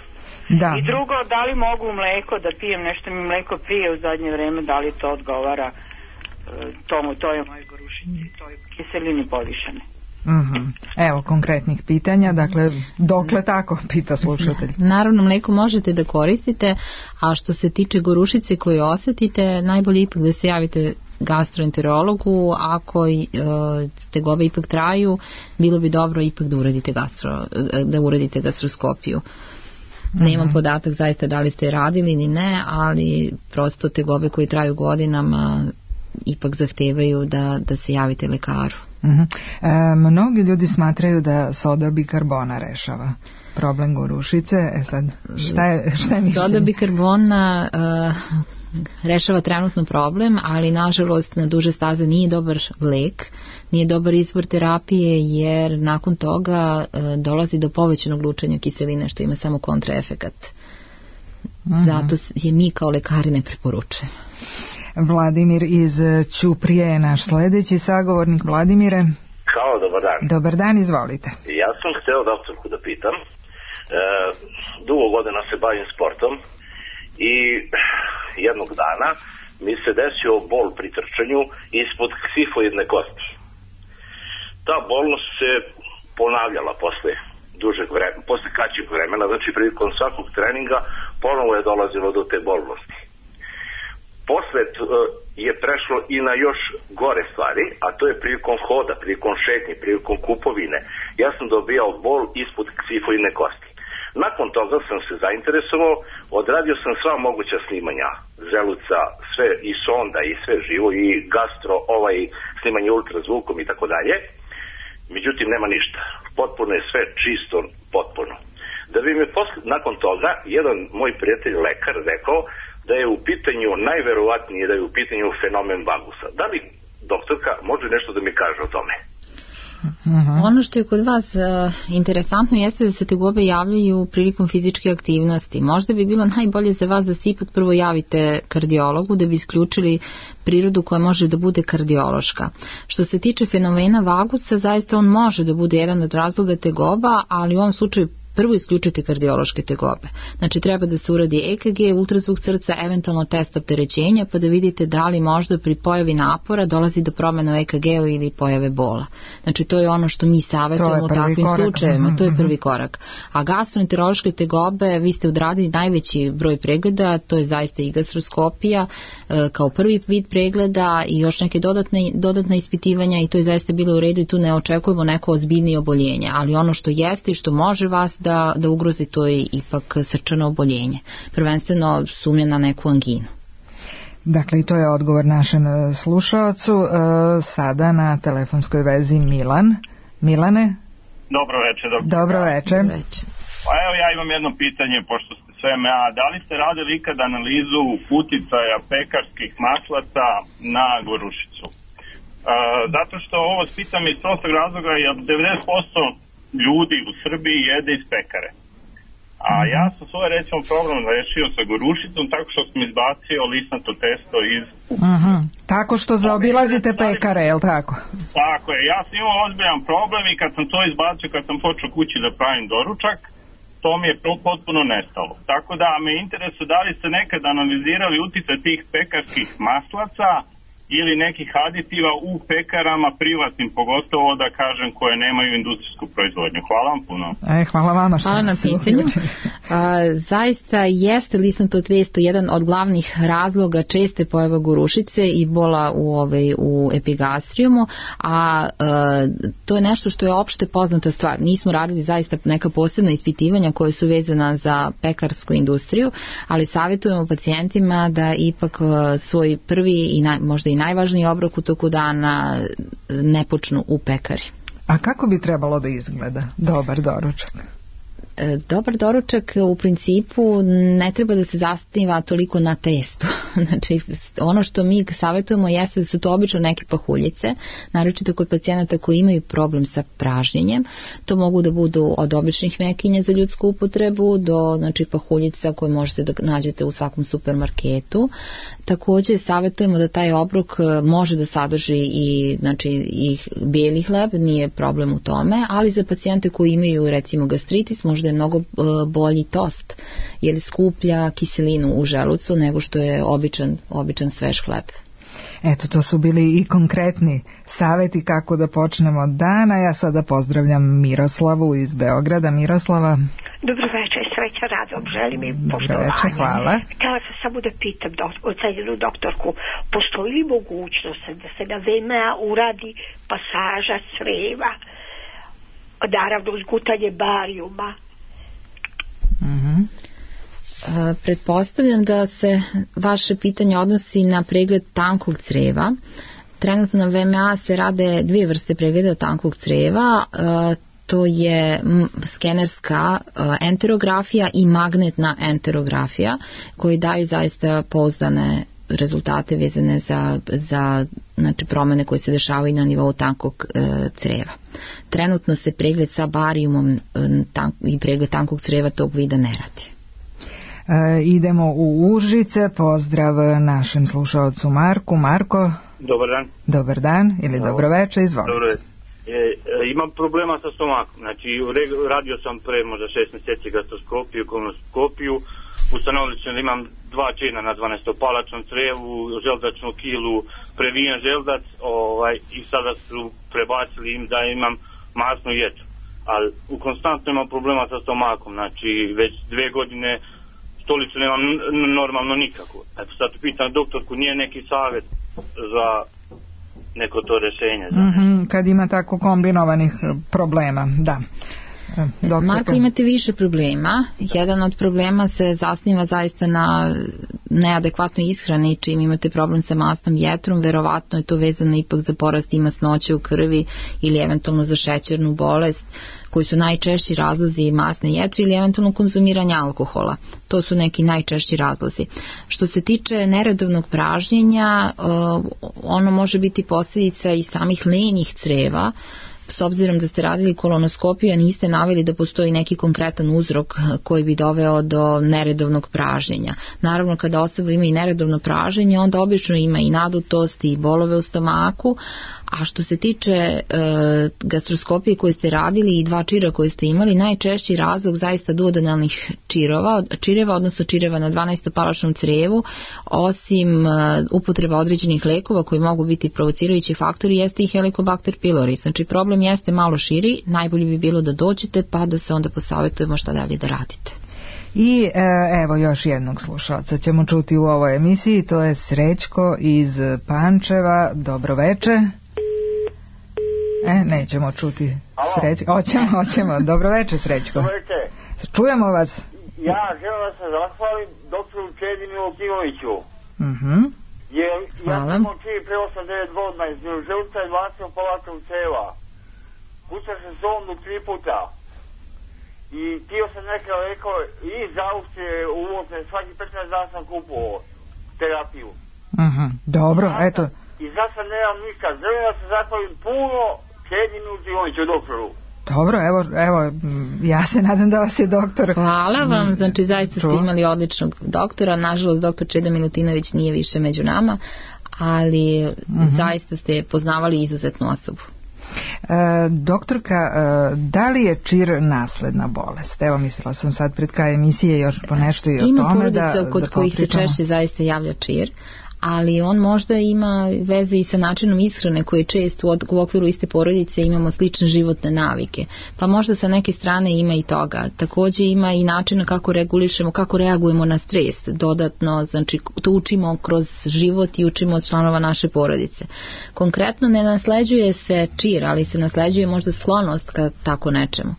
Da. I drugo, da li mogu mleko da pijem, nešto mi mleko pije u zadnje vreme, da li to odgovara to je moje gorušici, to je kiselini povišene. Evo konkretnih pitanja, dakle dokle tako, pita slušatelj. Naravno, mleko možete da koristite, a što se tiče gorušice koju osetite, najbolje ipak da se javite gastroenterologu. Ako tegobe ipak traju, bilo bi dobro ipak da uradite gastroskopiju. Nemam podatak zaista da li ste radili ili ne, ali prosto tegobe koje traju godinama ipak zahtevaju da se javite lekaru. Mnogi ljudi smatraju da soda bikarbona rešava problem gorušice. Sad, šta je mišljenje? Soda bikarbona rešava trenutno problem, ali nažalost na duže staze nije dobar lek, nije dobar izvor terapije, jer nakon toga dolazi do povećanog lučenja kiseline, što ima samo kontraefekat. Zato je mi kao lekari ne preporučujemo. Vladimir iz Ćuprije je naš sledeći sagovornik. Vladimire. Halo, dobar dan. Dobar dan, izvolite. Ja sam hteo doktorku da pitam. Dugo godina se bavim sportom i jednog dana mi se desio bol pri trčanju ispod ksifoidne kosti. Ta bolnost se ponavljala posle kraćeg vremena, znači prilikom svakog treninga ponovo je dolazilo do te bolnosti. Posle je prešlo i na još gore stvari, a to je prilikom hoda, prilikom šetnje, prilikom kupovine. Ja sam dobijao bol ispod ksifoidne kosti. Nakon toga sam se zainteresovao, odradio sam sva moguća snimanja želuca, sve i sonda i sve živo i gastro, snimanje ultrazvukom i tako dalje. Međutim, nema ništa. Potpuno je sve čisto, potpuno. Da bi mi nakon toga jedan moj prijatelj lekar rekao da je u pitanju, najverovatnije da je u pitanju fenomen vagusa. Da li doktorka može nešto da mi kaže o tome? Ono što je kod vas interesantno jeste da se tegobe javljaju prilikom fizičke aktivnosti. Možda bi bilo najbolje za vas da se ipak prvo javite kardiologu da bi isključili prirodu koja može da bude kardiološka. Što se tiče fenomena vagusa, zaista on može da bude jedan od razloga tegoba, ali u ovom slučaju prvo isključite kardiološke tegobe. Znači treba da se uradi EKG, ultrazvuk srca, eventualno test opterećenja, pa da vidite da li možda pri pojavi napora dolazi do promjena u EKG-u ili pojave bola. Znači to je ono što mi savjetujemo u takvim slučajevima. To je prvi korak. A gastroenterološke tegobe, vi ste odradili najveći broj pregleda, to je zaista i gastroskopija kao prvi vid pregleda i još neke dodatne ispitivanja i to je zaista bilo u redu i tu ne očekujemo neko ozbiljnije oboljenje. Ali ono što jeste i što može vas da ugrozi, to je ipak srčano oboljenje. Prvenstveno sumnja na neku anginu. Dakle, i to je odgovor našem slušaocu. Sada na telefonskoj vezi Milan. Milane? Dobro večer. Dobro večer. Pa evo ja imam jedno pitanje, pošto ste sve MMA. Da li ste radili ikad analizu uticaja pekarskih maslaca na gorušicu? Zato što ovo pitam iz prostog razloga, jer 90% ljudi u Srbiji jede iz pekare. A ja sam svoj recimo problem rešio sa gorušicom tako što sam izbacio lisnato testo iz... Tako što zaobilazite pekare, je li tako? Tako je, ja sam imao ozbiljan problem i kad sam to izbacio, kad sam počeo kući da pravim doručak, to mi je potpuno nestalo. Tako da me interesuje da li ste nekad analizirali uticaj tih pekarskih maslaca ili nekih aditiva u pekarama privatnim, pogotovo da kažem koje nemaju industrijsku proizvodnju. Hvala vam puno. Hvala vama što hvala na pitanju. Zaista jeste lisnato testo jedan od glavnih razloga česte pojave gorušice i bola u epigastrijumu, a to je nešto što je opšte poznata stvar. Nismo radili zaista neka posebna ispitivanja koje su vezana za pekarsku industriju, ali savjetujemo pacijentima da ipak svoj prvi i možda i najvažniji obrok u toku dana ne počnu u pekari. A kako bi trebalo da izgleda dobar doručak? Dobar doručak u principu ne treba da se zasniva toliko na testu. Znači, ono što mi savjetujemo jeste da su to obično neke pahuljice, naročito kod pacijenata koji imaju problem sa pražnjenjem. To mogu da budu od običnih mekinja za ljudsku upotrebu do pahuljica koje možete da nađete u svakom supermarketu. Također savjetujemo da taj obrok može da sadrži i bijeli hleb, nije problem u tome, ali za pacijente koji imaju recimo gastritis možda je mnogo bolji tost, jer skuplja kiselinu u želucu nego što je običan svež hleb. Eto, to su bili i konkretni savjeti kako da počnemo dan, a ja sada pozdravljam Miroslavu iz Beograda. Miroslava. Dobro večer, sreća, radom, želim i poštovanje. Dobro večer, hvala. Htjela sam samo da pitam cenjenu doktorku, postoji li mogućnost da se na VMA uradi pasaža creva, naravno uzgutanje barijuma? Pretpostavljam da se vaše pitanje odnosi na pregled tankog creva. Trenutno na VMA se rade dvije vrste pregleda tankog creva, to je skenerska enterografija i magnetna enterografija, koji daju zaista pouzdane rezultate vezane za promjene koje se dešavaju na nivou tankog creva. Trenutno se pregled sa barijumom i pregled tankog creva tog vida ne radi. Idemo u Užice, pozdrav našem slušaocu Marku. Marko. Dobar dan. Dobar dan ili dobro večer, izvolite. Dobro. Imam problema sa stomakom, znači radio sam pre možda 6 mjeseci gastroskopiju, kolonoskopiju, ustanovili su da imam 2 čina na 12-palačnom crevu, želdačnu kilu, previjen želdac i sada su prebacili im da imam masnu ječu, ali konstantno imam problema sa stomakom, znači već 2 godine stolicu nemam normalno nikako. Eto sad pitam doktorku, nije neki savjet za neko to rješenje? Kad ima tako kombinovanih problema, da. Marko, imate više problema. Jedan od problema se zasniva zaista na neadekvatnoj ishrani, čim imate problem sa masnom jetrom, verovatno je to vezano ipak za porast masnoće u krvi ili eventualno za šećernu bolest, koji su najčešći razlozi masne jetre ili eventualno konzumiranja alkohola. To su neki najčešći razlozi. Što se tiče neredovnog pražnjenja, ono može biti posljedica i samih lenjih creva, s obzirom da ste radili kolonoskopiju, a niste naveli da postoji neki konkretan uzrok koji bi doveo do neredovnog pražnjenja. Naravno, kada osoba ima i neredovno praženje, onda obično ima i nadutost i bolove u stomaku, a što se tiče gastroskopije koje ste radili i 2 čira koje ste imali, najčešći razlog zaista duodenalnih čireva, odnosno čireva na 12-palačnom crevu, osim upotreba određenih lekova koji mogu biti provocirajući faktori, jeste i Helicobacter pylori. Znači, problem jeste malo širi, najbolje bi bilo da dođete pa da se onda posavjetujemo šta dalje da radite. I evo još jednog slušalca ćemo čuti u ovoj emisiji, to je Srećko iz Pančeva. Dobro veče. Nećemo čuti Srećko. Hoćemo. Dobro veče, Srećko. Dobro veče. Čujemo vas. Ja želim da se zahvalim doktoru Čedi Milutinoviću. Jer ja sam čiji pre 8-9 godina iz želuca i 20 palačnog ceva. Pušao sam sondu 3 puta. I tio sam neka lekao i za Austrije uvozne, svaki 15 dana sam kupovao terapiju. Dobro, eto. I sad sam nemam ništa. Želim da se zahvalim puno Čedi Milutinoviću, doktoru. Dobro, evo, ja se nadam da vas je doktor. Hvala vam, znači zaista ste imali odličnog doktora, nažalost doktor Čeda Milutinović nije više među nama, ali zaista ste poznavali izuzetnu osobu. Doktorka, da li je čir nasledna bolest? Evo, mislila sam sad pred kraj emisije još po nešto i o tome. Ima porodica kod kojih se češće zaista javlja čir, ali on možda ima veze i sa načinom ishrane koji često u okviru iste porodice imamo slične životne navike. Pa možda sa neke strane ima i toga. Također ima i načina kako regulišemo, kako reagujemo na stres. Dodatno, znači to učimo kroz život i učimo od članova naše porodice. Konkretno ne nasleđuje se čir, ali se nasleđuje možda sklonost ka tako nečemu.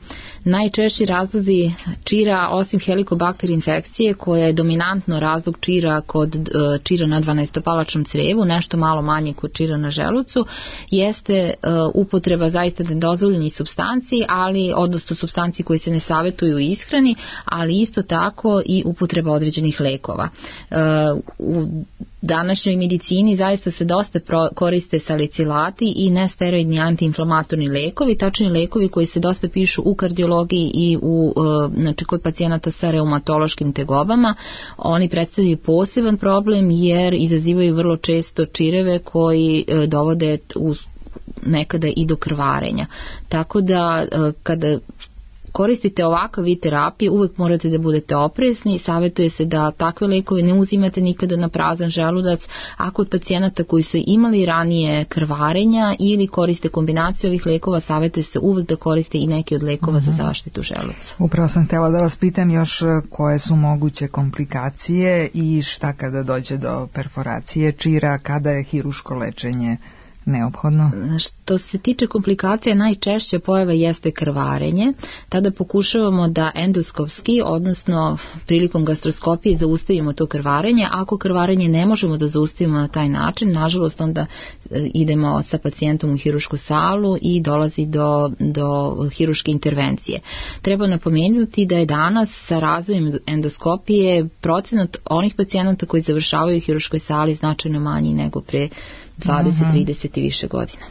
Najčešći razlozi čira, osim Helicobacter infekcije, koja je dominantno razlog čira kod čira na 12-palačnom crevu, nešto malo manje kod čira na želucu, jeste upotreba zaista nedozvoljenih supstanci, ali odnosno supstanci koji se ne savjetuju u ishrani, ali isto tako i upotreba određenih lekova. U današnjoj medicini zaista se dosta koriste salicilati i nesteroidni antiinflamatorni lekovi, tačni lekovi koji se dosta pišu u kardiologiji i znači kod pacijenata sa reumatološkim tegobama. Oni predstavljaju poseban problem jer izazivaju vrlo često čireve koji dovode nekada i do krvarenja. Tako da kada koristite ovakav vid terapije, uvek morate da budete oprezni. Savjetuje se da takve lekove ne uzimate nikada na prazan želudac, a kod pacijenata koji su imali ranije krvarenja ili koriste kombinaciju ovih lekova, savjetuje se uvek da koriste i neke od lekova za zaštitu želuca. Upravo sam htjela da vas pitam još koje su moguće komplikacije i šta kada dođe do perforacije čira, kada je hiruško lečenje neophodno? Što se tiče komplikacija, najčešća pojava jeste krvarenje. Tada pokušavamo da endoskopski, odnosno prilikom gastroskopije, zaustavimo to krvarenje. Ako krvarenje ne možemo da zaustavimo na taj način, nažalost onda idemo sa pacijentom u hirušku salu i dolazi do hiruške intervencije. Treba napomenuti da je danas sa razvojem endoskopije procenat onih pacijenata koji završavaju u hiruškoj sali značajno manji nego pre 20, 30 i više godina.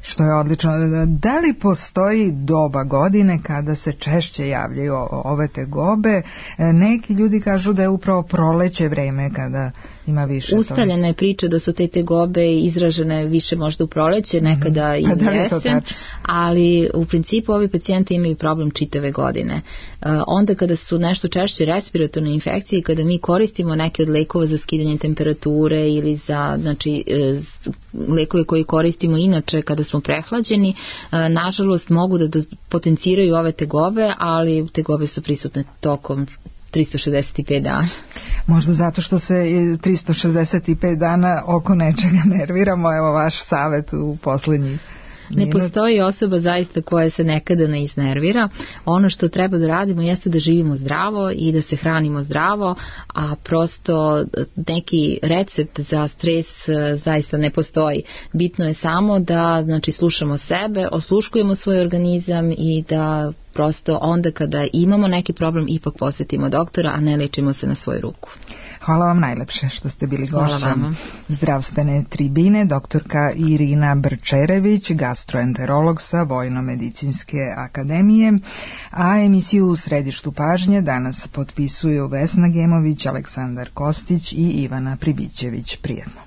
Što je odlično. Da li postoji doba godine kada se češće javljaju ove tegobe? Neki ljudi kažu da je upravo proleće vreme kada ima više. Ustaljena je priča da su te tegobe izražene više možda u proleće, nekada i u jesen, ali u principu ovi pacijenti imaju problem čitave godine. Onda kada su nešto češće respiratorne infekcije, kada mi koristimo neke od lekova za skidanje temperature ili za lekove koje koristimo inače kada smo prehlađeni, nažalost mogu da potenciraju ove tegobe, ali tegobe su prisutne tokom 365 dana. Možda zato što se 365 dana oko nečega nerviramo, evo vaš savjet u posljednjih. Ne postoji osoba zaista koja se nekada ne iznervira. Ono što treba da radimo jeste da živimo zdravo i da se hranimo zdravo, a prosto neki recept za stres zaista ne postoji. Bitno je samo da slušamo sebe, osluškujemo svoj organizam i da prosto onda kada imamo neki problem ipak posjetimo doktora, a ne lečimo se na svoju ruku. Hvala vam najlepše što ste bili gošća zdravstvene tribine. Doktorka Irina Brčerević, gastroenterolog sa Vojno-medicinske akademije, a emisiju U središtu pažnje danas potpisuju Vesna Gemović, Aleksandar Kostić i Ivana Pribićević. Prijetno.